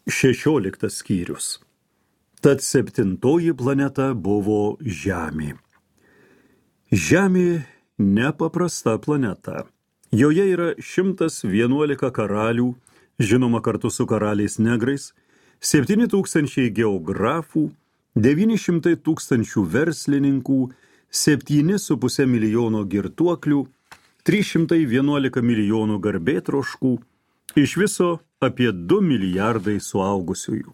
16 skyrius. Tad 7 planeta buvo Žemė. Žemė nepaprasta planeta. Joje yra 111 karalių, žinoma kartu su karaliais negrais, 7000 geografų, 900 000 verslininkų, 7,5 milijono girtuoklių, 311 milijonų garbėtroškų, iš viso apie 2 milijardai suaugusiųjų.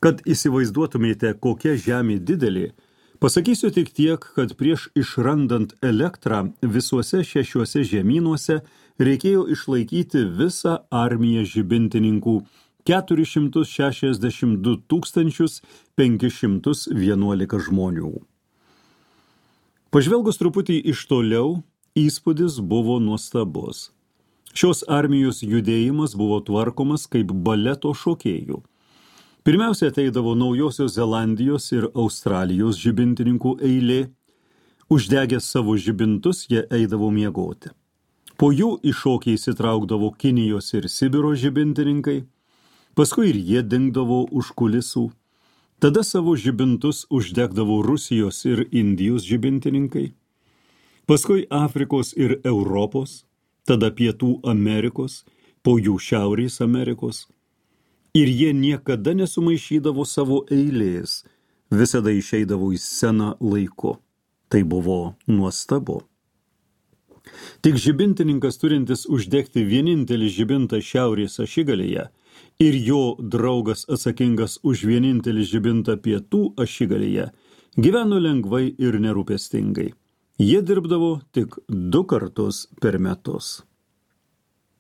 Kad įsivaizduotumėte, kokia Žemė didelė, pasakysiu tik tiek, kad prieš išrandant elektrą visuose 6 žemynuose reikėjo išlaikyti visą armiją žibintininkų 462 511 žmonių. Pažvelgus truputį iš toliau, įspūdis buvo nuostabus. Šios armijos judėjimas buvo tvarkomas kaip baleto šokėjų. Pirmiausia ateidavo Naujosios Zelandijos ir Australijos žibintininkų eilė. Uždegę savo žibintus, jie eidavo miegoti. Po jų į šokį įsitraukdavo Kinijos ir Sibiro žibintininkai. Paskui ir jie dingdavo už kulisų. Tada savo žibintus uždegdavo Rusijos ir Indijos žibintininkai. Paskui Afrikos ir Europos, tada Pietų Amerikos, po jų Šiaurės Amerikos. Ir jie niekada nesumaišydavo savo eilės, visada išeidavo į sceną laiku. Tai buvo nuostabu. Tik žibintininkas turintis uždegti vienintelį žibintą šiaurės ašigalyje ir jo draugas atsakingas už vienintelį žibintą pietų ašigalyje gyveno lengvai ir nerūpestingai. Jie dirbdavo tik 2 kartus per metus.